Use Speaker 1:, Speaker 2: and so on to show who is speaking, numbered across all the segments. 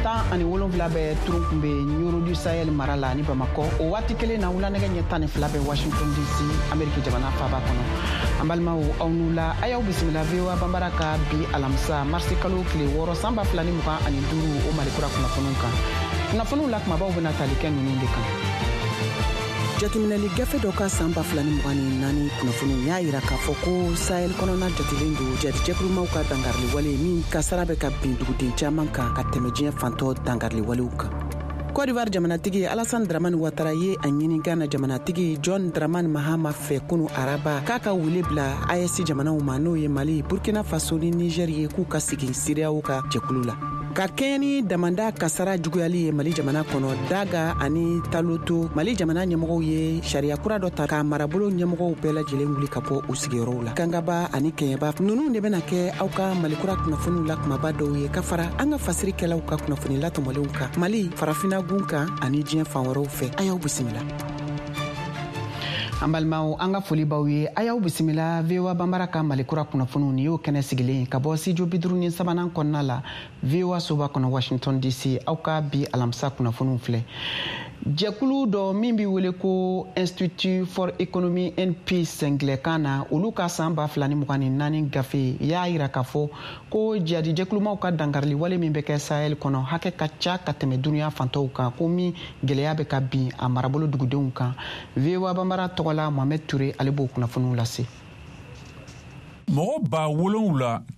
Speaker 1: 17 bɛ Turunkunbe, Ɲoro du Sahel mara la ni Bamakɔ. O waati kelen na, wulanɛgɛ ɲɛ 12 bɛ Washington DC, Ameriki jamana faaba kɔnɔ. An balimaw, aw n'u la, a y'aw bisimila VOA Banbara ka bi alamisa, marisi kalo tile 6, san 2025, o Malikura kunnafoniw kan. Kunnafoniw la kumabaw bɛna tali kɛ ninnu de kan: Jateminɛli gafe dɔ ka san 2024 kunnafoniw y'a yira k'a fɔ ko Sahel kɔnɔna jatelen don jadijɛkulumaw ka dankariliwale min kasara bɛ ka bin duguden caman kan ka tɛmɛ diɲɛ fantɔ dankariliwalew kan. Cote d'Ivoire jamanatigi Alassane Dramane Ouattara ye a ɲini Ghana jamanatigi John Dramani Mahama fɛ kunu araba k'a ka wele bila AES jamanaw ma, n'o ye Mali, Burkina Faso ni Niger ye, k'u ka segin CEDEAO ka jɛkulu la. Ka kɛɲɛ ni damanda kasara juguyali ye Mali jamana kɔnɔ, Daga ani Taloto, Mali jamana ɲɛmɔgɔw ye sariya kura dɔ ta ka marabolo ɲɛmɔgɔw bɛɛ lajɛlen wuli ka bɔ u sigiyɔrɔw la. Kangaba ani Kɛɲɛba, ninnu de bɛna kɛ aw ka Malikura kunnafoniw la kumaba dɔw ye, ka fara an ka fasirikɛlaw ka kunnafoni latɔmɔlenw kan Mali, Farafina gun kan ani diɲɛ fan wɛrɛw fɛ. A y'aw bisimila. An balimaw, an ka foli b'aw ye. A y'aw bisimila VOA Banbara ka Malikura kunnafoniw. Nin y'o kɛnɛ sigilen ka bɔ studio 53nan kɔnɔna la, VOA soba kɔnɔ, Washington DC. Aw ka bi alamisa kunnafoniw filɛ. Jɛkulu dɔ min bɛ wele ko Institute for Economy and Peace ngilɛkan na, olu ka san 2024 gafe y'a yira k'a fɔ ko jihadi jɛkulumaw ka dankarili wale min bɛ kɛ Sahel kɔnɔ, hakɛ ka ca ka tɛmɛ duniya fantɔw kan, ko min gɛlɛya bɛ ka bin a marabolo dugudenw kan. VOA Banbara tɔgɔla, Mohamed Ture, ale b'o kunnafoniw lase.
Speaker 2: Mɔgɔ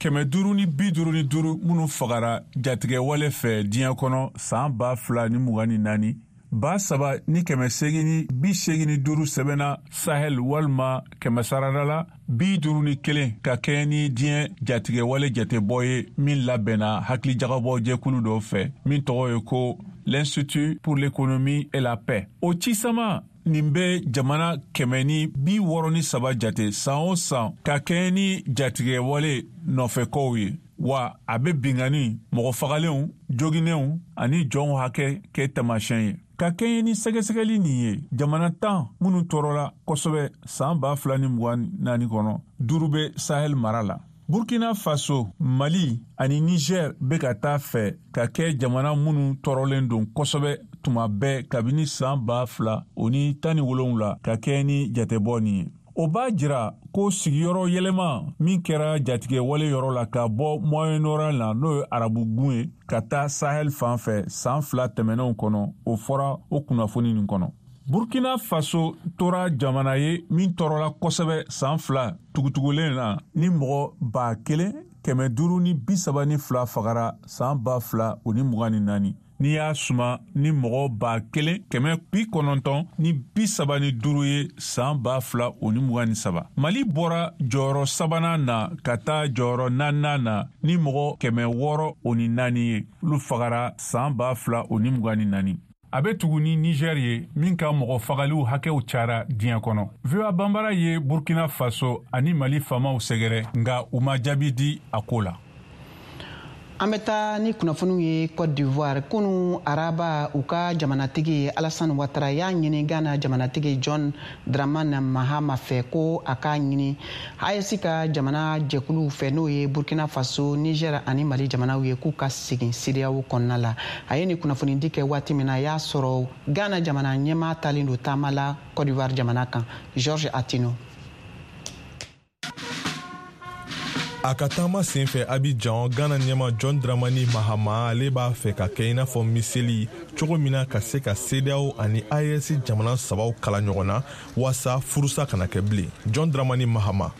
Speaker 2: 7555 minnu fagara jatigɛwale fɛ diɲɛ kɔnɔ san 2024, 3885 sɛbɛnna Sahel, walima kɛmɛsarada la 51, ka kɛɲɛ ni diɲɛ jatigɛwale jatebɔ ye min labɛnna hakilijagabɔ jɛkulu dɔ fɛ min tɔgɔ ye ko l'Institut pour l'économie et la paix. O cisama nin bɛ jamana 163 jate san o san ka kɛɲɛ ni jatigɛwale nɔfɛkow ye, wa a bɛ binkanni, mɔgɔ fagalenw, joginenw ani jɔnw hakɛ kɛ taamasiyɛn ye. Ka kɛɲɛ ni sɛgɛsɛgɛli nin ye, jamana 10 minnu tɔɔrɔla kosɛbɛ san 2024 kɔnɔ, duuru bɛ Sahel mara la. Burkina Faso, Mali ani Niger bɛ ka taa fɛ ka kɛ jamana minnu tɔɔrɔlen don kosɛbɛ tuma bɛɛ kabini san 2017, ka kɛɲɛ ni jatebɔ nin ye. O b'a jira ko sigiyɔrɔ yɛlɛma min kɛra jatigɛwale yɔrɔ la ka bɔ Moyen-Orient la, n'o ye Arabugun ye, ka taa Sahel fan fɛ san 2 tɛmɛnenw kɔnɔ, o fɔra o kunnafoni nin kɔnɔ. Burkina Faso tora jamana ye min tɔɔrɔla kosɛbɛ san 2 tugutugulen na, ni mɔgɔ 1532 fagara san 2024, n'i y'a suma ni mɔgɔ 1935 ye san 2023. Mali bɔra jɔyɔrɔ sabanan na ka taa jɔyɔrɔ naaninan na ni mɔgɔ 604 ye, olu fagara san 2024. A bɛ tugu ni Niger ye min ka mɔgɔ fagaliw hakɛw cayara diɲɛ kɔnɔ. VOA Banbara ye Burkina Faso ani Mali faamaw sɛgɛrɛ, nka u ma jaabi di a ko la.
Speaker 1: An bɛ taa ni kunnafoniw ye Cote d'Ivoire. Kunu araba, u ka jamanatigi Alassane Ouattara y'a ɲini Ghana jamanatigi John Dramani Mahama fɛ ko a k'a ɲini AES ka jamana jɛkuluw fɛ, n'o ye Burkina Faso, Niger ani Mali jamanaw ye, k'u ka segin CEDEAO kɔnɔna la. A ye nin kunnafonidi kɛ waati min na, a y'a sɔrɔ Ghana jamana ɲɛmaa talen don taama la Cote d'Ivoire jamana kan. Georges Attino.
Speaker 3: A ka taama sen fɛ Abidjan, Ghana ɲɛma John Dramani Mahama, ale b'a fɛ ka kɛ i n'a fɔ miseli cogo min na ka se ka CEDEAO ani AES jamana sabaw kala ɲɔgɔn na waasa furusa kana kɛ bilen. John Dramani Mahama: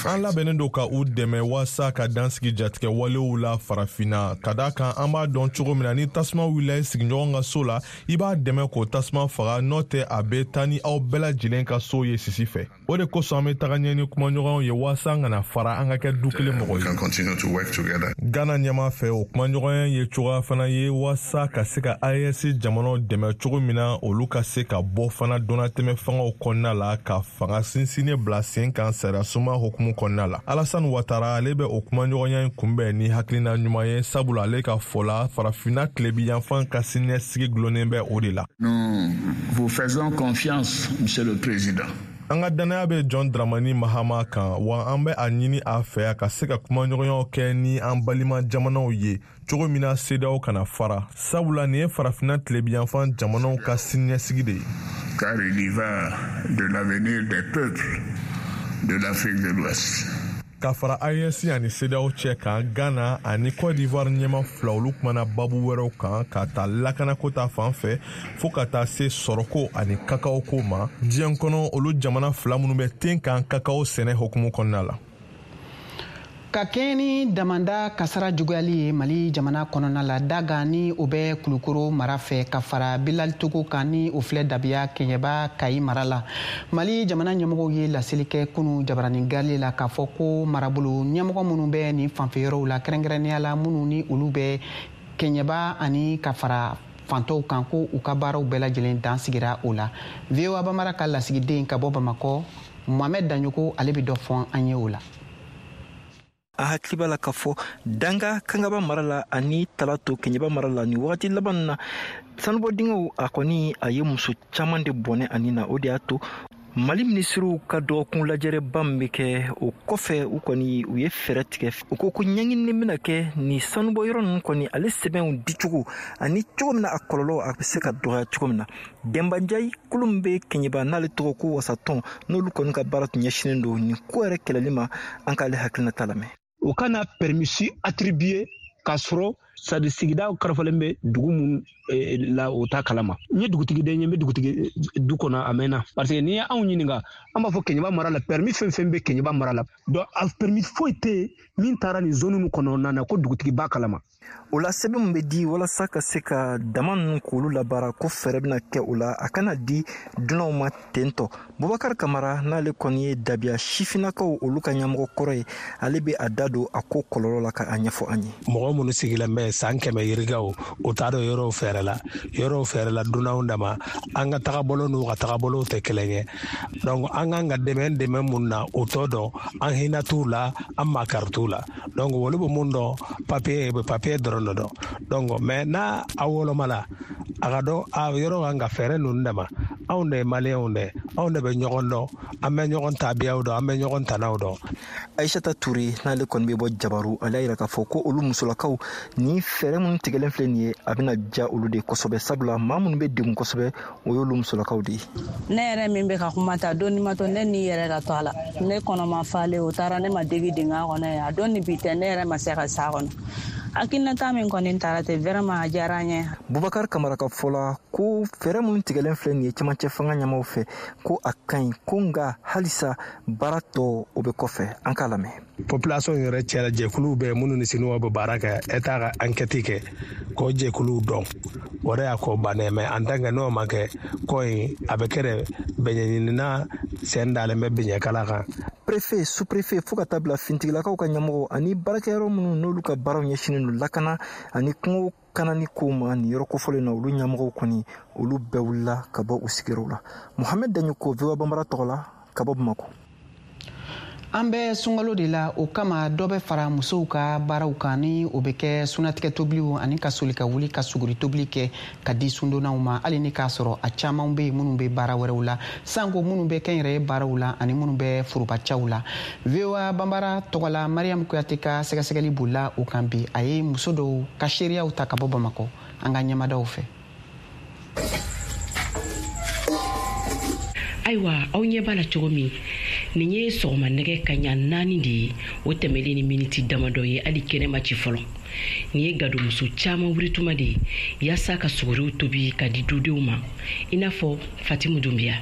Speaker 3: "An labɛnnen don ka u dɛmɛ waasa ka dansigi jatigɛ walew la Farafinna, ka da kan an b'a dɔn cogo min na, ni tasuma wulila i sigiɲɔgɔn ka so la, i b'a dɛmɛ k'o tasuma faga, n'o tɛ a bɛ taa ni aw bɛɛ lajɛlen ka so ye sisi fɛ. O de kosɔn an bɛ taga ɲɛ ni kumaɲɔgɔnw ye waasa an kana fara, an ka kɛ du kelen mɔgɔ ye." Ghana ɲɛma fɛ, o kumaɲɔgɔnya ye cogoya fana ye waasa ka se ka AES jamanaw dɛmɛ cogo min na olu ka se ka bɔ fana donnatɛmɛ fangaw kɔnɔna la, ka fanga sinsinnen bila sen kan sariyasuma hukumu kɔnɔna la. Alassane Ouattara, ale bɛ o kumaɲɔgɔnya in kunbɛn ni hakilina ɲuman ye, sabula ale ka fɔ la, Farafinna tilebi yanfan ka siniɲɛsigi gulonnen bɛ o de la.
Speaker 4: Nous vous faisons confiance, Monsieur le Président.
Speaker 3: An ka dannaya bɛ John Dramani Mahama kan, wa an bɛ a ɲini a fɛ a ka se ka kumaɲɔgɔnyaw kɛ ni an balima jamanaw ye cogo min na CEDEAO kana fara, sabula nin ye farafinna tilebiyanfan jamanaw ka siniɲɛsigi de ye.
Speaker 4: Car il y va de l'avenir des peuples de l'Afrique de l'Ouest.
Speaker 3: Ka fara AES ani CEDEAO cɛ kan, Ghana ani Côte d'Ivoire ɲɛma fila, olu kumana babu wɛrɛw kan, ka ta lakanako ta fan fɛ fɔɔ ka taa se sɔrɔko ani kakao ko ma diɲɛ kɔnɔ, olu jamana fila minnu bɛ ten kan kakao sɛnɛ hokumu kɔnɔna la.
Speaker 1: Ka kɛɲɛ ni damanda kasara juguyali ye Mali jamana kɔnɔna la, Daga ni o bɛ Kulukoro mara fɛ, ka fara Bilali Togo kan ni o filɛ Dabiya Kɛɲɛba Kayi mara la, Mali jamana ɲɛmɔgɔw ye laseli kɛ kunu jabaranin gale la k'a fɔ ko marabolo ɲɛmɔgɔ minnu bɛ nin fanfɛ yɔrɔw la, kɛrɛnkɛrɛnnenya la minnu ni olu bɛ Kɛɲɛba ani ka fara fantɔw kan, ko u ka baaraw bɛɛ lajɛlen dan sigira o la. VOA Bambara ka lasigiden ka bɔ Bamakɔ, Mohamed Daɲoko, ale bɛ dɔ fɔ an ye o la.
Speaker 5: A hakili b'a la k'a fɔ Danga Kangaba mara la ani Talato Kɛɲɛba mara la, nin wagati laban na, sanubɔ dingɛw a kɔni a ye muso caman de bɔnɛ ani na. O de y'a to Mali minisiriw ka dɔgɔkun lajɛrɛba min bɛ kɛ, o kɔfɛ u kɔni u ye fɛɛrɛ tigɛ. U ko ko ɲɛɲinini bɛna kɛ nin sanubɔ yɔrɔ ninnu kɔni ale sɛbɛnw dicogo ani cogo min na a kɔlɔlɔ a bɛ se ka dɔgɔya cogo min na. Dɛnbanjayi kulu min bɛ Kɛɲɛba n'ale tɔgɔ ko Wasatɔn, n'olu kɔni ka baara tun ɲɛsinnen don nin ko yɛrɛ kɛlɛli ma, an k'ale hakilinata lamɛn.
Speaker 6: U kana permis attribuer k'a sɔrɔ sadi sigida karifalen bɛ dugu mun la, o t'a kalama. N ye dugutigi den ye, n bɛ dugutigi du kɔnɔ a mɛnna, parce que n'i ye anw ɲininka, an b'a fɔ Kɛɲɛba mara la, permis fɛn fɛn bɛ Kɛɲɛba mara la, donc a permis foyi tɛ yen min taara nin zone ninnu kɔnɔna na ko dugutigi b'a kalama.
Speaker 5: O la, sɛbɛn min bɛ di walasa ka se ka dama ninnu k'olu labaara, ko fɛɛrɛ bɛna kɛ o la, a kana di dunanw ma ten tɔ. Bubakar Kamara, n'ale kɔni ye Dabiya sifinnakaw olu ka ɲɛmɔgɔ kɔrɔ ye, ale bɛ a da don a ko kɔlɔlɔ la ka a ɲɛfɔ an ye.
Speaker 7: Mɔgɔ minnu sigilen bɛ san 100 yirikaw, o t'a dɔn yɔrɔw fɛɛrɛ la, yɔrɔw fɛɛrɛ la dunanw dama. An ka tagabolo n'u ka tagabolow tɛ kelen ye, donc an kan ka dɛmɛ mun na, o t'o dɔn. An hinɛ t'u la, an makari t'u la. Donc olu bɛ mun dɔn? Papiye bɛ papiye dɔrɔn de dɔn. Donc mais n'a a woloma la, a ka dɔn a yɔrɔ kan ka fɛɛrɛ ninnu dama. Anw de ye Maliyɛnw de, anw de bɛ ɲɔgɔn dɔn, an bɛ ɲɔgɔn tabiyaw dɔn, an bɛ ɲɔgɔn tanaw dɔn.
Speaker 5: Aisata Ture, n'ale kɔni bɛ bɔ Jabaru, ale y'a yira k'a fɔ ko olu musolakaw, ni fɛɛrɛ minnu tigɛlen filɛ nin ye, a bɛna diya olu de kosɛbɛ, sabula maa minnu bɛ degun kosɛbɛ, o y'olu musolakaw de ye.
Speaker 8: Ne yɛrɛ min bɛ ka kuma ta, don ma to ne ni yɛrɛ ka to a la, ne kɔnɔma falen, o taara ne ma degi dingɛ kɔnɔ yen. A don ni bi tɛ, ne yɛrɛ ma se ka s'a kɔnɔ. Hakilinata min kɔni taara ten, vraiment a diyara n ye.
Speaker 5: Bubakar Kamara ka fɔ la, ko fɛɛrɛ minnu tigɛlen filɛ nin ye cɛmancɛ fanga ɲɛmaw fɛ, ko a ka ɲi, ko nka halisa baara tɔ o bɛ kɔfɛ. An k'a lamɛn.
Speaker 7: Population yɛrɛ cɛla, jɛkuluw bɛ minnu ni Sinuwa bɛ baara kɛ, État ka enquête kɛ k'o jɛkuluw dɔn, o de y'a ko bannen. Mais en tant que n'o ma kɛ, ko in a bɛ kɛ de bɛɲɛɲinina sen dalen bɛ biɲɛkala kan.
Speaker 5: Préfet, sous-préfet, fo ka taa bila fintigilakaw ka ɲɛmɔgɔ ani baarakɛyɔrɔ minnu n'olu ka baaraw ɲɛsinnen don lakana ani kungo kanani kow ma nin yɔrɔ kofɔlen na, olu ɲɛmɔgɔw kɔni olu bɛɛ wulila ka bɔ u sigiyɔrɔw la. Mohamɛd Daɲoko, VOA Banbara tɔgɔ la ka bɔ Bamako.
Speaker 1: An bɛ sunkalo de la, o kama dɔ bɛ fara musow ka baaraw kan, ni o bɛ kɛ sunatigɛ tobiliw ani ka soli ka wuli ka suguri tobili kɛ ka di sundonnaw ma, hali ni k'a sɔrɔ a caman bɛ yen minnu bɛ baara wɛrɛw la, sanko minnu bɛ kɛnyɛrɛye baaraw la ani minnu bɛ forobacaw la. VOA Banbara tɔgɔ la, Mariam Kuyate ka sɛgɛsɛgɛli bolila o kan bi. A ye muso dɔw ka seereyaw ta ka bɔ Bamakɔ an ka ɲɛmadaw fɛ.
Speaker 9: Ayiwa, aw ɲɛ b'a la cogo min, nin ye sɔgɔma nɛgɛ kaɲa 4 de ye, o tɛmɛlen ni miniti damadɔ ye, hali kɛnɛ ma ci fɔlɔ. Nin ye gadomuso caaman wurituma de ye yaasa ka suguriw tobi ka di dudenw ma, i n'a fɔ Fatimu Dunbiya.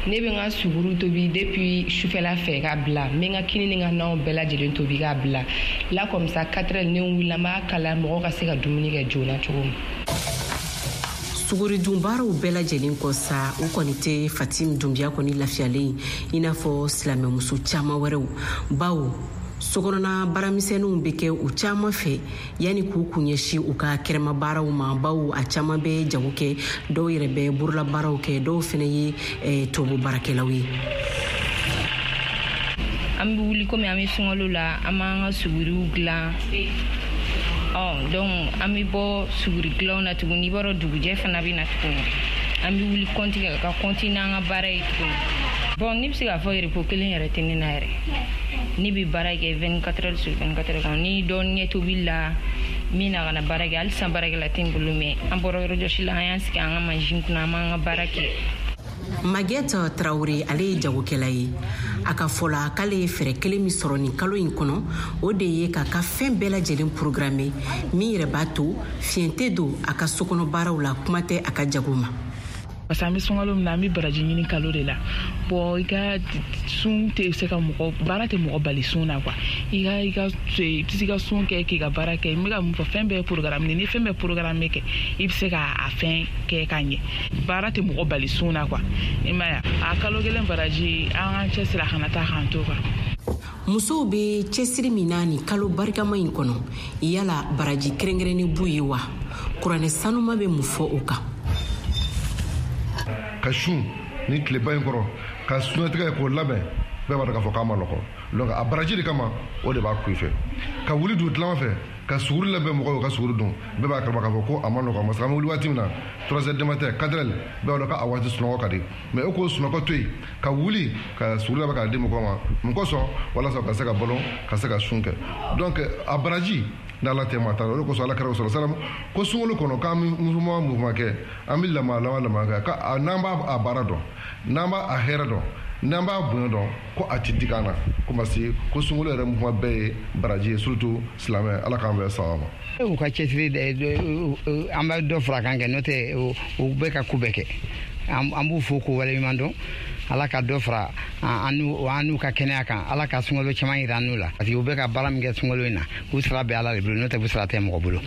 Speaker 10: Ne bɛ n ka suguru tobi depuis sufɛla fɛ k'a bila. N bɛ n ka kini ni n ka nanw bɛɛ lajɛlen tobi k'a bila la, comme ça 4 heures ne wulila, n b'a kala, mɔgɔw ka se ka dumuni kɛ joona cogo min.
Speaker 9: Sugoridun baaraw bɛɛ lajɛlen kɔ sa, u kɔni tɛ Fatim Dunbiya kɔni lafiyalen i n'a fɔ silamɛmuso caaman wɛrɛw, bawo sokɔnɔna baaramisɛnninw bɛ kɛ u caaman fɛ yanni k'u kun ɲɛsin u ka kɛrɛma baaraw ma, bawo a caaman bɛ jago kɛ, dɔw yɛrɛ bɛ borola baaraw kɛ, dɔw fɛnɛ ye tubabu baarakɛlaw ye.
Speaker 10: An bɛ wuli, komi an bɛ sunkalo la, an b'an ka suguriw dilan. Ɔ donc an bɛ bɔ suguri dilanw na tuguni, i b'a dɔn dugujɛ fana bɛ na tuguni. An bɛ wuli kɔnti kɛ ka kɔnti n'an ka baara ye tuguni. Bon, ne bɛ se k'a fɔ repos kelen yɛrɛ tɛ ne na yɛrɛ. Ne bɛ baara kɛ 24 heures sur 24 heures kɔnɔ. Ni dɔɔnin kɛ tobili la, min na ka na baara kɛ, halisa baarakɛla tɛ n bolo, mais an bɔra yɔrɔjɔsi la, an y'an sigi an ka mansin kunna, an b'an ka baara kɛ.
Speaker 9: Maguette Traoré, ale ye jagokɛla ye. A ka fɔ la, k'ale ye fɛɛrɛ kelen min sɔrɔ nin kalo in kɔnɔ, o de ye k'a ka fɛn bɛɛ lajɛlen programme, min yɛrɛ b'a to fiɲɛ tɛ don a ka sokɔnɔ baaraw la, kuma tɛ a ka jago ma.
Speaker 11: Parce que an bɛ sunkalo min na, an bɛ baraji ɲini kalo de la. Bon, i ka sun tɛ se ka mɔgɔ baara tɛ mɔgɔ bali sun na quoi. I ka i ka i bɛ se ka sun kɛ k'i ka baara kɛ. N bɛ ka mun fɔ, fɛn bɛɛ ye programme. Ni fɛn bɛɛ programme kɛ, i bɛ se ka a fɛn kɛ ka ɲɛ. Baara tɛ mɔgɔ bali sun na quoi, i m'a ye. A kalo kelen baraji, an k'an cɛsiri a kana taa k'an to quoi.
Speaker 9: Musow bɛ cɛsiri min na nin kalo barikama in kɔnɔ, yala baraji kɛrɛnkɛrɛnnen b'u ye wa? Kuranɛ sanuma bɛ mun fɔ o kan?
Speaker 12: Ka sun ni tileba in kɔrɔ, ka sunatigɛ k'o labɛn, bɛɛ b'a dɔn k'a fɔ k'a ma nɔgɔ. Donc a baraji de kama, o de b'a kun i fɛ ka wuli dugutilama fɛ ka suguri labɛn mɔgɔw ye ka suguri dun. Bɛɛ b'a kalama k'a fɔ ko a ma nɔgɔ, parce que an bɛ wuli waati min na, 3 heures du matin, 4 heures, bɛɛ b'a dɔn k'a waati sunɔgɔ ka di. Mais e k'o sunɔgɔ to yen ka wuli ka suguri labɛn k'a di mɔgɔw ma, mun kosɔn? Walasa ka se ka balo, ka se ka sun kɛ. Donc a baraji n'Ala tɛ maa ta. O de kosɔn Ala kɛra sɔrɔ salam ko sunkalo kɔnɔ, k'an bɛ mouvement kɛ, an bɛ lama kɛ, ka n'an b'a a baara dɔn, n'an b'a a hɛrɛ dɔn, n'an b'a bonya dɔn, ko a ti digi an na, ko parce que ko sunkalo yɛrɛ mouvement bɛɛ ye baraji ye, surtout silamɛ. Ala k'an bɛn sawaba ma.
Speaker 13: U ka cɛsiri, an bɛ dɔ fara kan kɛ, n'o tɛ u bɛ ka ko bɛɛ kɛ. An b'u fo k'u waleɲuman dɔn. Ala ka dɔ fara an n'u ka kɛnɛya kan. Ala ka sunkalo caman yira an n'u la, parce que u bɛ ka baara min kɛ sunkalo in na, k'u sara bɛ Ala de bolo, n'o tɛ u sara tɛ mɔgɔ bolo.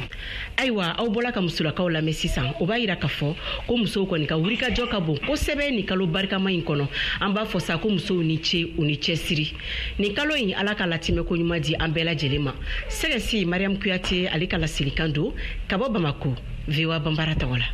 Speaker 9: Ayiwa, aw bɔla ka musolakaw lamɛn sisan. O b'a yira k'a fɔ ko musow kɔni ka wulikajɔ ka bon kosɛbɛ nin kalo barikama in kɔnɔ. An b'a fɔ sa ko musow ni ce, u ni cɛsiri nin kalo in. Ala ka latimɛ ko ɲuman di an bɛɛ lajɛlen ma. Sɛgɛsi Mariam Kuyate, ale ka laselikan don ka bɔ Bamako, VOA Banbara tɔgɔ la.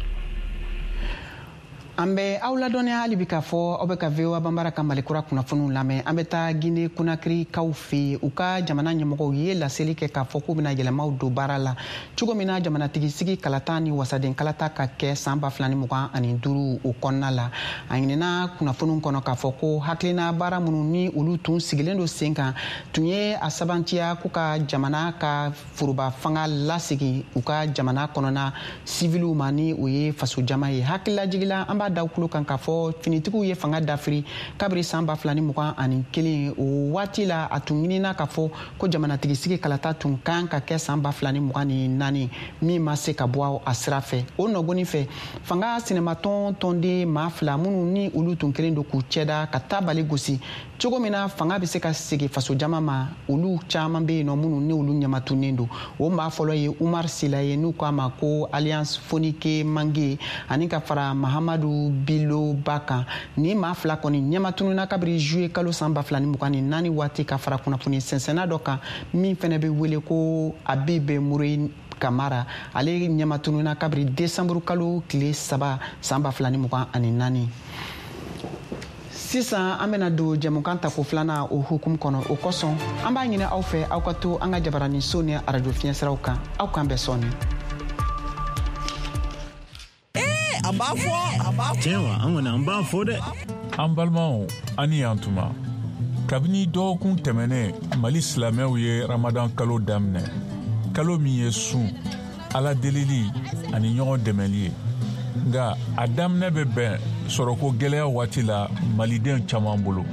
Speaker 1: An bɛ aw ladɔnniya hali bi k'a fɔ aw bɛ ka VOA Banbara ka Malikura kunnafoniw lamɛn. An bɛ taa Guinée Conakry-kaw fɛ yen. U ka jamana ɲɛmɔgɔw ye laseli kɛ k'a fɔ k'u bɛna yɛlɛmaw don baara la cogo min na jamanatigi sigi kalata ni wasaden kalata ka kɛ san 2025 o kɔnɔna la. A ɲinina kunnafoniw kɔnɔ k'a fɔ ko hakilina baara minnu ni olu tun sigilen don sen kan tun ye a sabantiya k'u ka jamana ka foroba fanga lasegin u ka jamana kɔnɔna siviliw ma, ni o ye fasojama ye. Hakililajigila, an b'a da kulo kan k'a fɔ finitigiw ye fanga dafiri kabiri san 2021. O waati la, a tun ɲinina k'a fɔ ko jamanatigi sigi kalata tun kan ka kɛ san 2024, min ma se ka bɔ a sira fɛ. O nɔgɔni fɛ, fanga sinamatɔn tɔnden maa fila minnu ni olu tun kelen don k'u cɛda ka tabali gosi cogo min na fanga bɛ se ka segin fasojama ma, olu caman bɛ yen nɔ minnu ni olu ɲamatunnen don. O maa fɔlɔ ye Umar Sila ye, n'u k'a ma ko Alliance Fonike Mange, ani ka fara Mahamadu Bilo Ba kan. Ni maa fila kɔni ɲɛmatununa kabiri juillet kalo san 2024 waati, ka fara kunnafoni sɛnsɛnna dɔ kan min fɛnɛ bɛ wele ko Abibe Mure Kamara. Ale ɲɛmatununa kabiri décembre kalo tile 3 san 2024. Sisan an bena don jɛmukan tako filanan o hukumu kɔnɔ. O kosɔn, an b'a ɲini aw fɛ, aw ka to an ka jabaraninso ni arajo fiɲɛsiraw kan. Aw k'an bɛn sɔɔni.
Speaker 14: A b'a fɔ, a b'a fɔ.
Speaker 15: Tiɲɛ wa, an kɔni an b'a fɔ dɛ.
Speaker 2: An balimaw, an ni yan tuma. Kabini dɔgɔkun tɛmɛnen, Mali silamɛw ye Ramadan kalo daminɛ, kalo min ye sun, Ala delili ani ɲɔgɔn dɛmɛli ye. Nka a daminɛ bɛ bɛn sɔrɔko gɛlɛya waati la maliden caman bolo.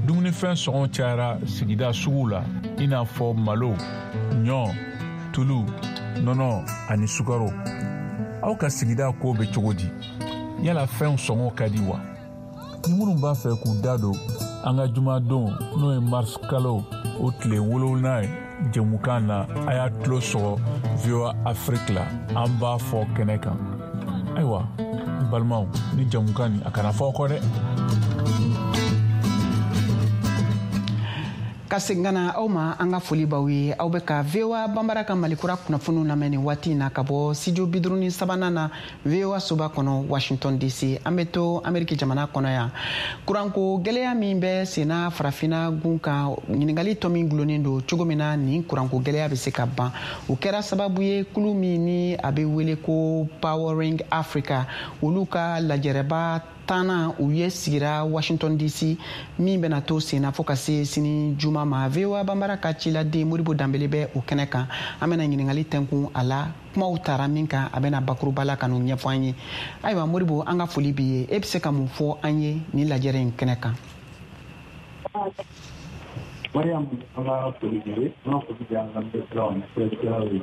Speaker 2: Dumunifɛn sɔngɔ cayara sigida suguw la, i n'a fɔ malo, ɲɔ, tulu, nɔnɔ ani sukaro. Aw ka sigida ko bɛ cogo di? Yala fɛnw sɔngɔ ka di wa? Ni minnu b'a fɛ k'u da don an ka jumadon, n'o ye mars kalo o tile 7 ye, jɛmukan na, a y'a tulo sɔgɔ VOA Afrique la, an b'a fɔ kɛnɛ kan. Ayiwa n balimaw, ni jɛmukan nin, a kana fɔ aw kɔ dɛ.
Speaker 1: Ka segin ka na aw ma, an ka foli b'aw ye. Aw bɛ ka VOA Banbara ka Malikura kunnafoniw lamɛn nin waati in na ka bɔ studio 53nan na, VOA soba kɔnɔ, Washington DC. An bɛ to Ameriki jamana kɔnɔ yan. Kuranko gɛlɛya min bɛ senna Farafina gun kan, ɲininkali tɔ min gulonnen don cogo min na nin kuranko gɛlɛya bɛ se ka ban, o kɛra sababu ye kulu min ni a bɛ wele ko Powering Africa, olu ka lajɛrɛba tannan u ye sigira Washington DC, min bɛna to senna fo ka se sini juma ma. VOA Banbara ka ciladen Modibo Danbele bɛ o kɛnɛ kan. An bɛna ɲininkali tɛnkun a la, kumaw tara min kan, a bɛna bakuruba la ka n'o ɲɛfɔ an ye. Ayiwa Modibo, an ka foli b'i ye. E bɛ se ka mun fɔ an ye nin lajɛrɛ in kɛnɛ kan?
Speaker 15: Mariam, an ka foli b'i ye, an ka foli bɛ an ka lamɛnnikɛlaw ani filɛlikɛlaw ye.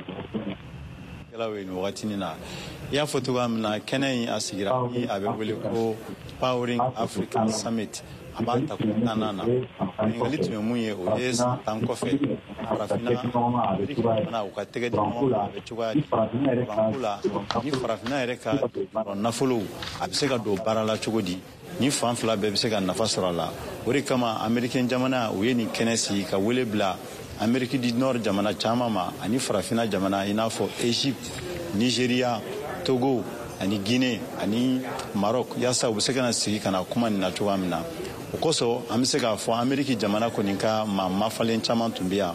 Speaker 16: Kɛlaw ye nin wagatinin na, i y'a fɔ cogoya min na, kɛnɛ in a sigira ni a bɛ wele ko Powering Africa Summit, a b'a ta ko tannan na. Ɲininkali tun ye mun ye? O ye san 10 kɔfɛ, Farafinna, Ameriki jamana, u ka tɛgɛ di ɲɔgɔn ma, a bɛ cogoya di kuranko la, ni Farafinna yɛrɛ ka nafolow a bɛ se ka don baara la cogo di, ni fan fila bɛɛ bɛ se ka nafa sɔrɔ a la. O de kama Amerikɛn jamana u ye nin kɛnɛ sigi ka wele bila Amérique du Nord jamana caman ma ani Farafina jamana, i n'a fɔ Egypte, Nigeria, Togo ani Guinée ani Maroc, yaasa u bɛ se ka na sigi ka na kuma nin na cogoya min na. O kosɔn an bɛ se k'a fɔ Amérique jamana kɔni ka maa mafalen caman tun bɛ yan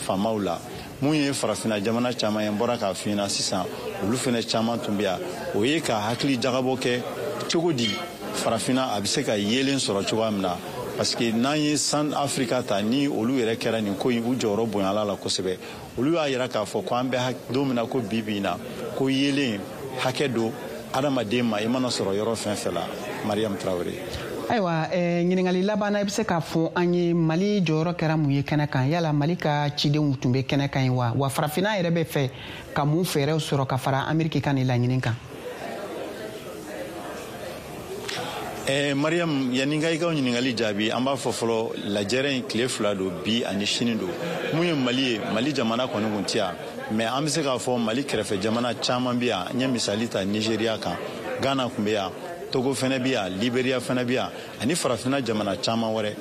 Speaker 16: faamaw la. Mun ye Farafina jamana caman ye, n bɔra k'a f'i ɲɛna sisan, olu fɛnɛ caman tun bɛ yan. O ye ka hakili jagabɔ kɛ cogo di Farafina a bɛ se ka yeelen sɔrɔ cogoya min na, parce que n'an ye San Afrika ta, ni olu yɛrɛ kɛra nin ko in, u jɔyɔrɔ bonyala la kosɛbɛ. Olu y'a yira k'a fɔ ko an bɛ don min na ko bi bi in na, ko yeelen hakɛ don adamaden ma, i mana sɔrɔ yɔrɔ fɛn fɛn la. Mariam Traoré.
Speaker 1: Ayiwa, ɲininkali laban na, i bɛ se k'a fɔ an ye Mali jɔyɔrɔ kɛra mun ye kɛnɛ kan? Yala Mali ka cidenw tun bɛ kɛnɛ kan yen wa? Wa Farafinna yɛrɛ bɛ fɛ ka mun fɛɛrɛw sɔrɔ ka fara Ameriki ka nin laɲini kan?
Speaker 16: Mariam, yanni n ka i ka ɲininkali jaabi, an b'a fɔ fɔlɔ, lajɛrɛ in tile 2 don, bi ani sini don. Mun ye Mali ye, Mali jamana kɔni kun tɛ yan, mais an bɛ se k'a fɔ Mali kɛrɛfɛ jamana caman bɛ yan. N ye misali ta Nigeria kan, Ghana tun bɛ yan, Togo fɛnɛ bɛ yan, Liberia fɛnɛ bɛ yan, ani Farafinna jamana caman wɛrɛ.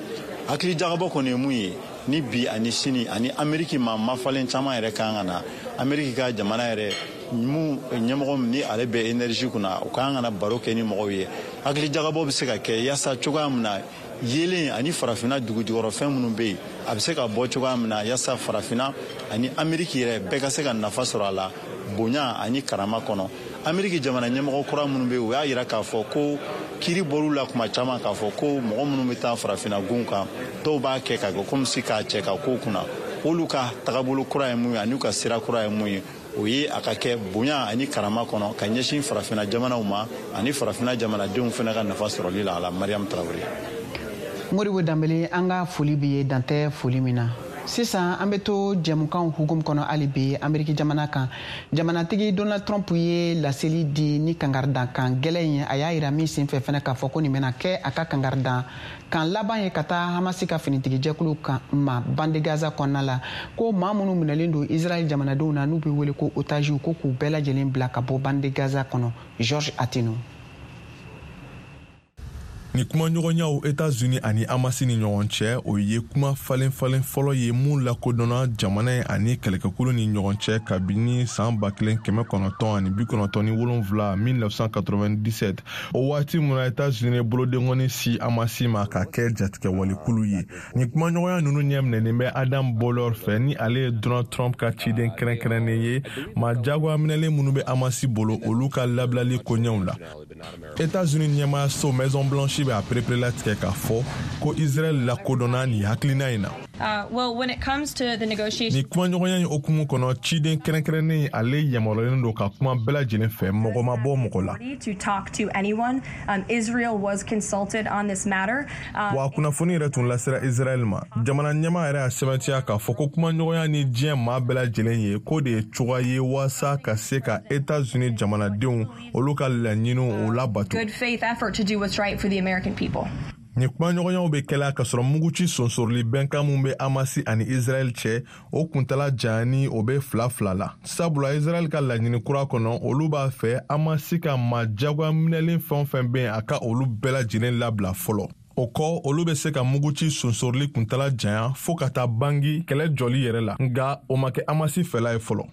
Speaker 16: Hakili jagabɔ kɔni ye mun ye ni bi ani sini, ani Ameriki maa mafalen caman yɛrɛ kan ka na, Ameriki ka jamana yɛrɛ mun ɲɛmɔgɔ min ni ale bɛ énergie kunna, o kan ka na baro kɛ ni mɔgɔw ye. Hakili jagabɔ bɛ se ka kɛ yaasa cogoya min na yeelen ani Farafinna dugujukɔrɔfɛn minnu bɛ yen, a bɛ se ka bɔ cogoya min na, yaasa Farafinna ani Ameriki yɛrɛ bɛɛ ka se ka nafa sɔrɔ a la bonya ani karama kɔnɔ. Ameriki jamana ɲɛmɔgɔ kura minnu bɛ yen, u y'a yira k'a fɔ ko kiiri bɔr'u la kuma caman k'a fɔ ko mɔgɔ minnu bɛ taa Farafinna gun kan, dɔw b'a kɛ ka kɛ komi si k'a cɛ ka kow kunna. Olu ka tagabolo kura ye mun ye ani u ka sira kura ye mun ye, o ye a ka kɛ bonya ani karama kɔnɔ ka ɲɛsin Farafinna jamanaw ma ani Farafinna jamanadenw fana ka nafa sɔrɔli la a la. Mariam Traoré.
Speaker 1: Modibo Danbele, an ka foli b'i ye, dantɛ foli min na. Sisan an bɛ to jɛmukanw hukumu kɔnɔ hali bi Ameriki jamana kan. Jamanatigi Donald Trump ye laseli di ni kangaridankan gɛlɛn ye. A y'a yira min senfɛ fɛnɛ k'a fɔ ko nin bɛna kɛ a ka kangaridan kan laban ye ka taa Hamasi ka finitigijɛkulu kan ma bande Gaza kɔnɔna la, ko maa minnu minɛlen don Israɛl jamanadenw na, n'u bɛ wele ko otaziw, ko k'u bɛɛ lajɛlen bila ka bɔ bande Gaza kɔnɔ. George Atino.
Speaker 3: Ni kumaɲɔgɔnyaw Etats-Unis ani Hamasi ni ɲɔgɔn cɛ, o ye kuma falen falen fɔlɔ ye mun lakodɔnna jamana ye ani kɛlɛkɛkulu ni ɲɔgɔn cɛ kabini san 1997, 1997, o waati mun na Etats-Unis bolodenkɔni si Hamasi ma ka kɛ jatigɛwalekulu ye. Ni kumaɲɔgɔnya ninnu ɲɛminɛnen bɛ Adam Boehler fɛ, ni ale ye Donald Trump ka ciden kɛrɛnkɛrɛnnen ye maa jagoya minɛlen minnu bɛ Hamasi bolo, olu ka labilali koɲɛw la. États-Unis ɲɛmaayaso Maison Blanche bɛ a pereperelatigɛ k'a fɔ ko Israël lakodɔnna nin hakilina in na. Nin kumaɲɔgɔnya in hukumu kɔnɔ, ciden kɛrɛnkɛrɛnnen ale yamaruyalen don ka kuma bɛɛ lajɛlen fɛ, mɔgɔ ma bɔ mɔgɔ la. Wa kunnafoni yɛrɛ tun lasera Israël ma. Jamana ɲɛmaa yɛrɛ y'a sɛbɛntiya k'a fɔ ko kumaɲɔgɔnya ni diɲɛ maa bɛɛ lajɛlen ye, k'o de ye cogoya ye waasa ka se ka États-Unis jamanadenw olu ka laɲiniw o labato. Nin kumaɲɔgɔnyaw bɛ kɛla k'a sɔrɔ muguci sonsoroli bɛnkan min bɛ Hamasi ani Israɛl cɛ, o kuntala janyani o bɛ 2-2 la, sabula Israɛl ka laɲini kura kɔnɔ, olu b'a fɛ Hamasi ka maa jagoya minɛlen fɛn o fɛn bɛ yen, a ka olu bɛɛ lajɛlen labila fɔlɔ. O kɔ, olu bɛ se ka muguci sonsorili kuntala janya fɔɔ ka taa bangi kɛlɛ jɔli yɛrɛ la, nka o ma kɛ Hamasi fɛla ye fɔlɔ.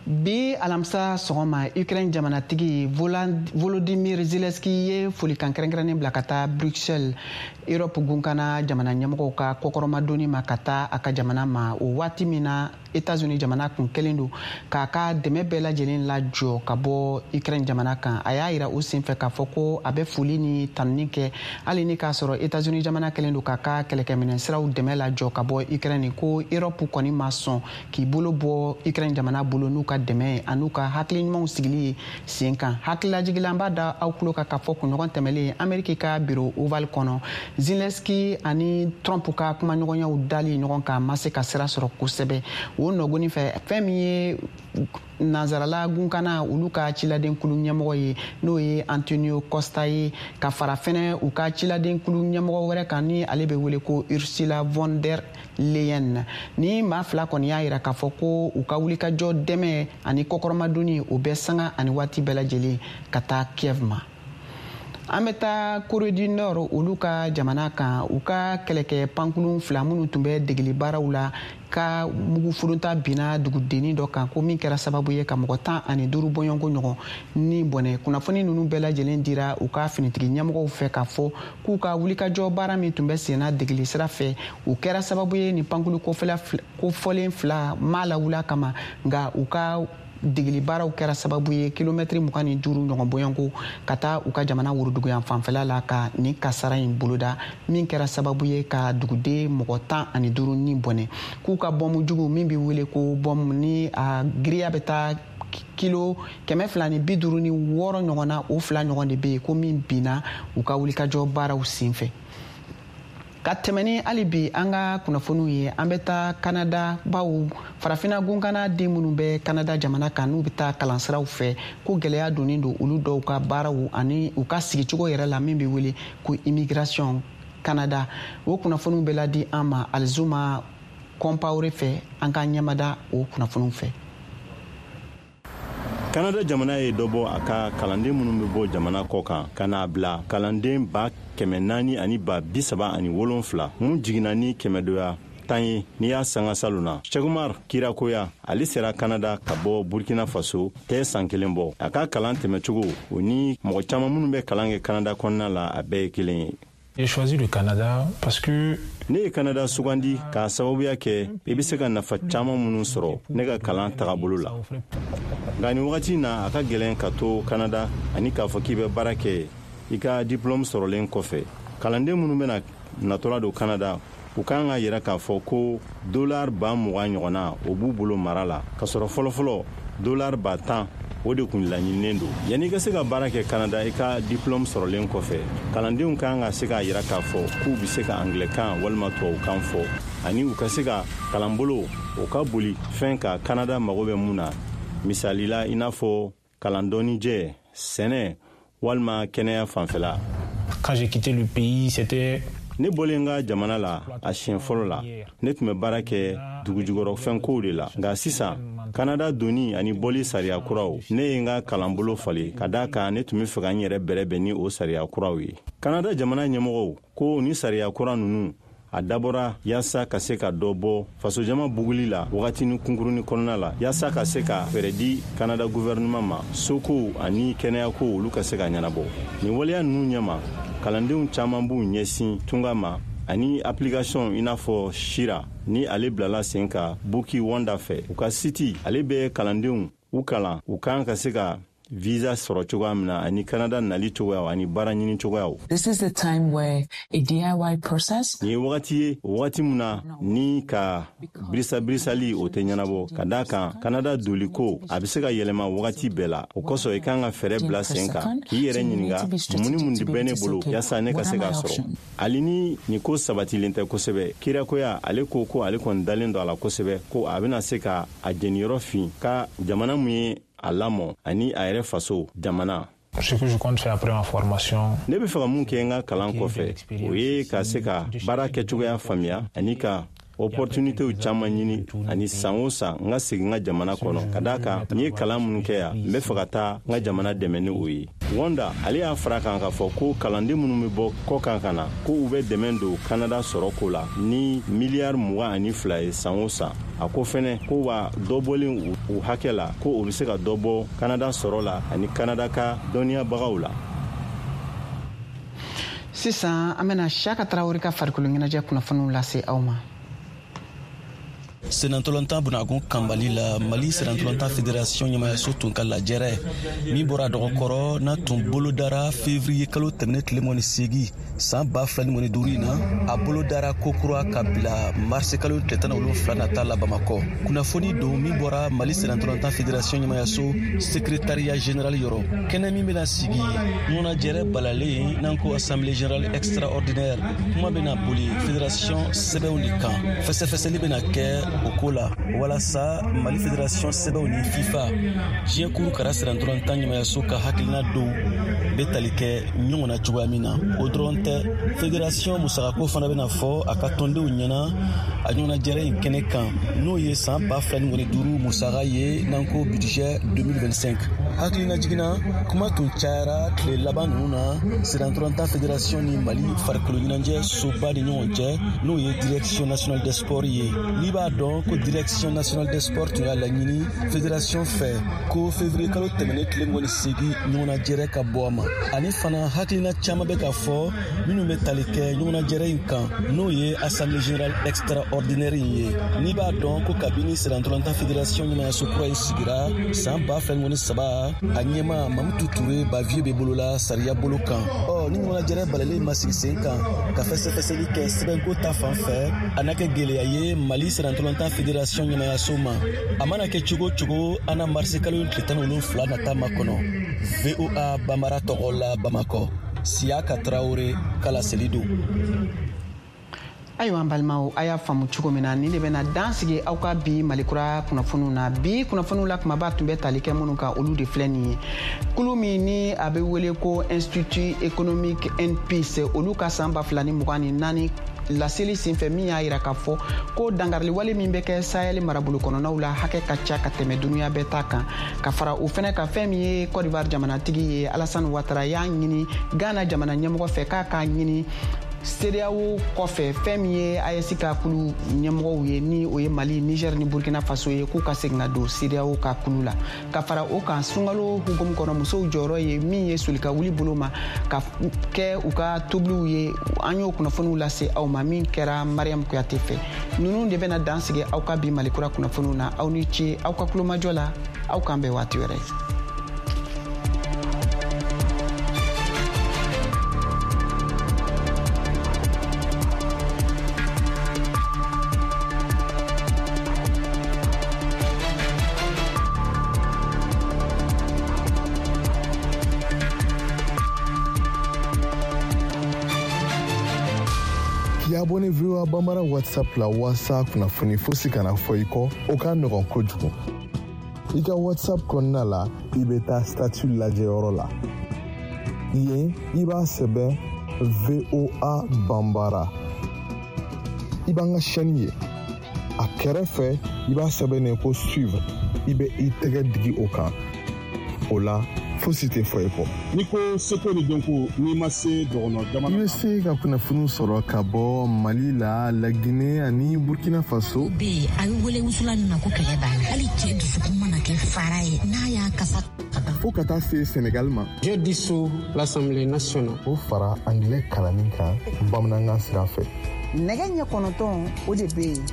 Speaker 1: Bi alamisa sɔgɔma, Ukraine jamanatigi Volodymyr Zelensky ye folikan kɛrɛnkɛrɛnnen bila ka taa Bruxelles, Europe gunkana jamana ɲɛmɔgɔw ka kɔkɔrɔmadonni ma ka taa a ka jamana ma, o waati min na États-Unis jamana kun kɛlen don k'a ka dɛmɛ bɛɛ lajɛlen lajɔ ka bɔ Ukraine jamana kan. A y'a yira o senfɛ k'a fɔ ko a bɛ foli ni tanuni kɛ, hali ni k'a sɔrɔ États-Unis jamana kɛlen don k'a ka kɛlɛkɛminɛn siraw dɛmɛ lajɔ ka bɔ Ukraine, ko Europe kɔni ma sɔn k'i bolo bɔ Ukraine jamana bolo n'u ka dɛmɛ ye an'u ka hakili ɲumanw sigili ye sen kan. Hakililajigila, an b'a da aw tulo kan k'a fɔ kunɲɔgɔn tɛmɛlen, Ameriki ka bureau Oval kɔnɔ, Zelensky ani Trump ka kumaɲɔgɔnyaw dali ɲɔgɔn kan ma se ka sira sɔrɔ kosɛbɛ. O nɔgɔni fɛ, fɛn min ye nanzarala gunkana olu ka ciladenkulu ɲɛmɔgɔ ye, n'o ye Antonio Costa ye, ka fara fɛnɛ u ka ciladenkulu ɲɛmɔgɔ wɛrɛ kan ni ale bɛ wele ko Ursula von der Leyen, ni maa fila kɔni y'a yira k'a fɔ ko u ka wulikajɔ dɛmɛ ani kɔkɔrɔmadonni, o bɛ sanga ani waati bɛɛ lajɛlen ka taa Kiev ma. An bɛ taa Corée du Nord olu ka jamana kan. U ka kɛlɛkɛ pankurun fila minnu tun bɛ degeli baaraw la ka mugu furunta binna dugudennin dɔ kan, ko min kɛra sababu ye ka mɔgɔ 15 bɔɲɔgɔnko ɲɔgɔn ni bɔnɛ. Kunnafoni ninnu bɛɛ lajɛlen dira u ka finitigi ɲɛmɔgɔw fɛ k'a fɔ k'u ka wulikajɔ baara min tun bɛ senna degeli sira fɛ, o kɛra sababu ye nin pankulu kofɔlen fila ma lawuli kama, nka u ka degeli baaraw kɛra sababu ye kilomɛtiri 25 ɲɔgɔn bɔɲɔgɔnko ka taa u ka jamana woroduguyan fanfɛla la ka nin kasara in boloda, min kɛra sababu ye ka duguden mɔgɔ 15 ni bɔnɛ. K'u ka bɔnmu jugu min bɛ wele ko bɔnmu, ni a giriya bɛ taa kilo 256 ɲɔgɔn na, o fila ɲɔgɔn de bɛ yen ko min binna u ka wulikajɔ baaraw senfɛ. Ka tɛmɛ ni hali bi an ka kunnafoniw ye, an bɛ taa Kanada, bawo Farafina gunkana den minnu bɛ Kanada jamana kan, n'u bɛ taa kalansiraw fɛ, ko gɛlɛya donnen don olu dɔw ka baaraw ani u ka sigicogo yɛrɛ la, min bɛ wele ko immigration Kanada. O kunnafoniw bɛ ladi an ma Alizuma Kɔnpawore fɛ. An ka ɲɛmada o kunnafoniw fɛ.
Speaker 16: Kanada jamana ye dɔ bɔ a ka kalanden minnu bɛ bɔ jamana kɔ kan ka n'a bila kalanden 437,000, mun jiginna ni kɛmɛdoya 10 ye n'i y'a sanga salon na. Cheick Kirakoya, ale sera Kanada ka bɔ Burkina Faso tɛ san kelen bɔ. A ka kalan tɛmɛcogo, o ni mɔgɔ caman minnu bɛ kalan kɛ Kanada kɔnɔna la, a bɛɛ ye kelen ye.
Speaker 17: J'ai choisi le Canada parce que
Speaker 16: Ne ye Kanada sugandi k'a sababuya kɛ i bɛ se ka nafa caman minnu sɔrɔ ne ka kalan tagabolo la. Nka nin wagati na, a ka gɛlɛn ka to Kanada ani k'a fɔ k'i bɛ baara kɛ i ka diplôme sɔrɔlen kɔfɛ. Kalanden minnu bɛna natɔla don Kanada, u kan ka yira k'a fɔ ko dolar 20,000 ɲɔgɔnna, o b'u bolo mara la, k'a sɔrɔ fɔlɔfɔlɔ dolar 10,000, o de kun laɲininen don. Yanni i ka se ka baara kɛ Kanada i ka diplôme sɔrɔlen kɔfɛ, kalandenw kan ka se k'a yira k'a fɔ k'u bɛ se ka angilɛkan walima tubabukan fɔ, ani u ka se ka kalanbolo o ka boli fɛn ka Kanada mago bɛ mun na, misali la i n'a fɔ kalan dɔnnijɛ, sɛnɛ walima kɛnɛya fanfɛla.
Speaker 17: Quand j'ai quitté le pays, c'était
Speaker 16: Ne bɔlen n ka jamana la a siɲɛ fɔlɔ la, ne tun bɛ baara kɛ dugujukɔrɔfɛnkow de la. Nka sisan, Kanada donni ani bɔli sariya kuraw, ne ye n ka kalanbolo falen, ka daa kan ne tun bɛ fɛ ka n yɛrɛ bɛrɛbɛn ni o sariya kuraw ye. Kanada jamana ɲɛmɔgɔw ko ni sariya kura ninnu, a dabɔra yaasa ka se ka dɔ bɔ fasojama buguli la wagatinin kunkurunin kɔnɔna la, yaasa ka se ka fɛɛrɛ di Kanada guvɛrɛnɛman ma sokow ani kɛnɛyakow, olu ka se ka ɲɛnabɔ. Nin waleya ninnu ɲɛma, kalandenw caman b'u ɲɛsin tunga ma ani application i n'a fɔ Shira, ni ale bilala sen ka Buki Wanda fɛ. U ka site, ale bɛ kalandenw u kalan u kan ka se ka visa sɔrɔ cogoya min na, ani Kanada nali cogoyaw ani baara ɲini cogoyaw.
Speaker 18: This is the time where a DIY process
Speaker 16: Nin ye wagati ye, o wagati min na ni ka birisa-birisali, o tɛ ɲɛnabɔ, ka daa kan Kanada doli ko, a bɛ se ka yɛlɛma wagati bɛɛ la. O kosɔn, i kan ka fɛɛrɛ bila sen kan k'i yɛrɛ ɲininka mun ni mun de bɛ ne bolo yaasa ne ka se k'a sɔrɔ. Hali ni nin ko sabatilen tɛ kosɛbɛ, Kirakoya, ale ko ko ale kɔni dalen don a la kosɛbɛ ko a bɛna se ka a jeniyɔrɔ fin ka jamana mun ye a lamɔ ani a yɛrɛ faso jamana.
Speaker 17: Ce que je compte faire après ma formation.
Speaker 16: Ne bɛ fɛ ka mun kɛ n ka kalan kɔfɛ, o ye ka se ka baara kɛcogoya faamuya ani ka Opportunitéw caman ɲini ani san o san n ka segin n ka jamana kɔnɔ, ka d'a kan n ye kalan minnu kɛ yan, n bɛ fɛ ka taa n ka jamana dɛmɛ ni o ye. Wanda ale y'a fara kan k'a fɔ ko kalanden minnu bɛ bɔ kɔkan ka na, ko u bɛ dɛmɛ don Kanada sɔrɔ ko la ni miliyari 22 ye san o san. A ko fɛnɛ ko wa dɔ bɔlen u hakɛ la, ko o bɛ se ka dɔ bɔ Kanada sɔrɔ la ani Kanada ka dɔnniyabagaw la.
Speaker 1: Sisan an bɛna Siyaka Tarawele ka farikolo ɲɛnajɛ kunnafoniw lase aw ma.
Speaker 19: Senatɔlɔntan bunagun kanbali la, Mali senatɔlɔntan fédération ɲɛmayaso tun ka lajɛrɛ min bɔra dɔgɔkɔrɔ n'a tun bolodara février kalo tɛmɛnen tile 28 san 2025 in na, a bolodara kokura ka bila marisi kalo tile 17 nata la Bamakɔ. Kunnafoni don min bɔra Mali senatɔlɔntan fédération ɲɛmayaso secrétariat général yɔrɔ. Kɛnɛ min bɛna sigi ɲɔgɔnnajɛrɛ balalen n'an ko assemblée générale extraordinaire, kuma bɛna boli fédération sɛbɛnw de kan. Fɛsɛfɛsɛli bɛna kɛ o ko la walasa Mali fédération sɛbɛnw ni FIFA diɲɛ kuru kara senatɔlɔntan ɲɛmayaso ka hakilina dɔw bɛ tali kɛ ɲɔgɔn na cogoya min na. O dɔrɔn tɛ, fédération musakako fana bɛna fɔ a ka tɔndenw ɲɛna a ɲɔgɔnnajɛrɛ in kɛnɛ kan, n'o ye san 2025 musaka ye n'an ko budget 2025. Hakilina jiginna kuma tun cayara tile laban ninnu na senatɔlɔntan fédération ni Mali farikolo ɲɛnajɛ soba ni ɲɔgɔn cɛ, n'o ye direction nationale des sports ye. N'i b'a dɔn ko direction nationale des sports tun y'a laɲini fédération fɛ ko février kalo tɛmɛnen tile 28 ɲɔgɔnnajɛrɛ ka bɔ a ma. Ani fana hakilina caman bɛ ka fɔ minnu bɛ tali kɛ ɲɔgɔnnajɛrɛ in kan, n'o ye assemblée générale extraordinaire in ye. N'i b'a dɔn ko kabini senatɔlɔntan fédération ɲɛmayaso kura in sigira san 2023, a ɲɛma Mamutu Ture Bavieux bɛ bolola sariya bolo kan. Ɔ ni ɲɔgɔnnajɛrɛ balalen ma sigi sen kan ka fɛsɛfɛsɛli kɛ sɛbɛnko ta fan fɛ, a na kɛ gɛlɛya ye Mali senatɔlɔntan fédération ɲɛmayaso ma. A mana kɛ cogo o cogo, an na marisi kalo tile 17 nata makɔnɔ. VOA Bambara tɔgɔ la Bamakɔ, Siyaka Tarawele ka laseli don.
Speaker 1: Ayiwa an balimaw, a y'a faamu cogo min na, nin de bɛna dan sigi aw ka bi Malikura kunnafoniw na. Bi kunnafoniw la kumaba tun bɛ tali kɛ minnu kan, olu de filɛ nin ye. Kulu min ni a bɛ wele ko Institut économique and Peace, olu ka san 2024 laseli senfɛ min y'a yira k'a fɔ ko dankariliwale min bɛ kɛ Sahel marabolo kɔnɔnaw la hakɛ ka ca ka tɛmɛ dunuya bɛɛ ta kan. Ka fara o fɛnɛ kan, fɛn min ye Côte d'Ivoire jamanatigi ye Alassane Ouattara y'a ɲini Ghana jamana ɲɛmɔgɔ fɛ k'a k'a ɲini CEDEAO kɔfɛ fɛn min ye AES ka kulu ɲɛmɔgɔw ye, ni o ye Mali, Niger ni Burkina Faso ye, k'u ka segin ka don CEDEAO ka kulu la. Ka fara o kan, sunkalo hukumu kɔnɔ musow jɔyɔrɔ ye min ye soli ka wuli bolo ma ka kɛ u ka tobiliw ye, an y'o kunnafoniw lase aw ma min kɛra Mariam Kuyate fɛ. Ninnu de bɛna dan sigi aw ka bi Malikura kunnafoniw na. Aw ni ce aw ka kulomajɔ la, aw k'an bɛn waati wɛrɛ.
Speaker 3: K'i abonné VOA Bambara WhatsApp la walasa kunnafoni fosi kana fɔ i kɔ, o ka nɔgɔn kojugu. I ka WhatsApp kɔnɔna la, i bɛ taa statut lajɛyɔrɔ la. Yen, i b'a sɛbɛn VOA Bambara. I b'an ka chaîne ye. A kɛrɛfɛ, i b'a sɛbɛn ko suivre. I bɛ i tɛgɛ digi o kan. O la, fosi tɛ fɔ i kɔ.
Speaker 20: N'i ko seko ni dɔnko, n'i ma se dɔgɔnɔ jamana.
Speaker 3: I bɛ se ka kunnafoniw sɔrɔ ka bɔ Mali la, Laginɛ ani Burkina Faso.
Speaker 21: Bɛ yen, a bɛ wele wusulan min ma ko kɛlɛ b'a la. Hali cɛ dusukun mana kɛ fara ye, n'a y'a kasa.
Speaker 3: Fo ka taa se Senegal ma.
Speaker 22: Je dissous l'Assemblée nationale.
Speaker 3: O fara anglais kalanni kan bamanankan sira fɛ.
Speaker 1: Nɛgɛ ɲɛ 9 o de bɛ yen.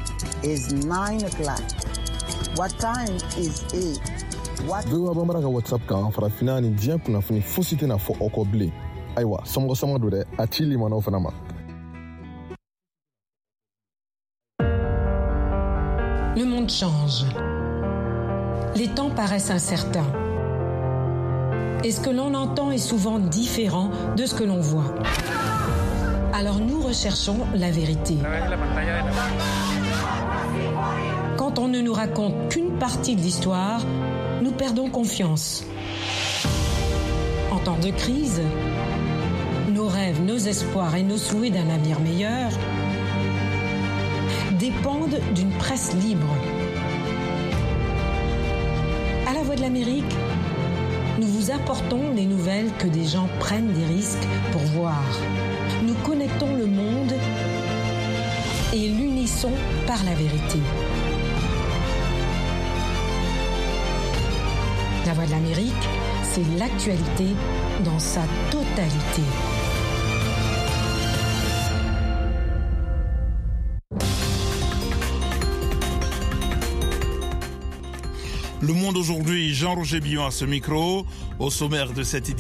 Speaker 1: Is 9 o'clock. What time is it?
Speaker 3: VOA Bambara ka WhatsApp kan, farafinna ni diɲɛ kunnafoni fosi tɛna fɔ aw kɔ bilen. Ayiwa, somɔgɔ sama don dɛ, a ci limanaw fana ma.
Speaker 23: Le monde change. Les temps paraissent incertains. Et ce que l'on entend est souvent différent de ce que l'on voit. Alors nous recherchons la vérité. Quand on ne nous raconte qu'une partie de l'histoire, nous perdons confiance. En temps de crise, nos rêves, nos espoirs et nos souhaits d'un avenir meilleur dépendent d'une presse libre. À la Voix de l'Amérique, nous vous apportons les nouvelles que des gens prennent des risques pour voir. Nous connectons le monde et l'unissons par la vérité. La Voix de l'Amérique, c'est l'actualité dans sa totalité.
Speaker 4: Le Monde aujourd'hui, Jean-Roger Billon à ce micro. Au sommaire de cette édition,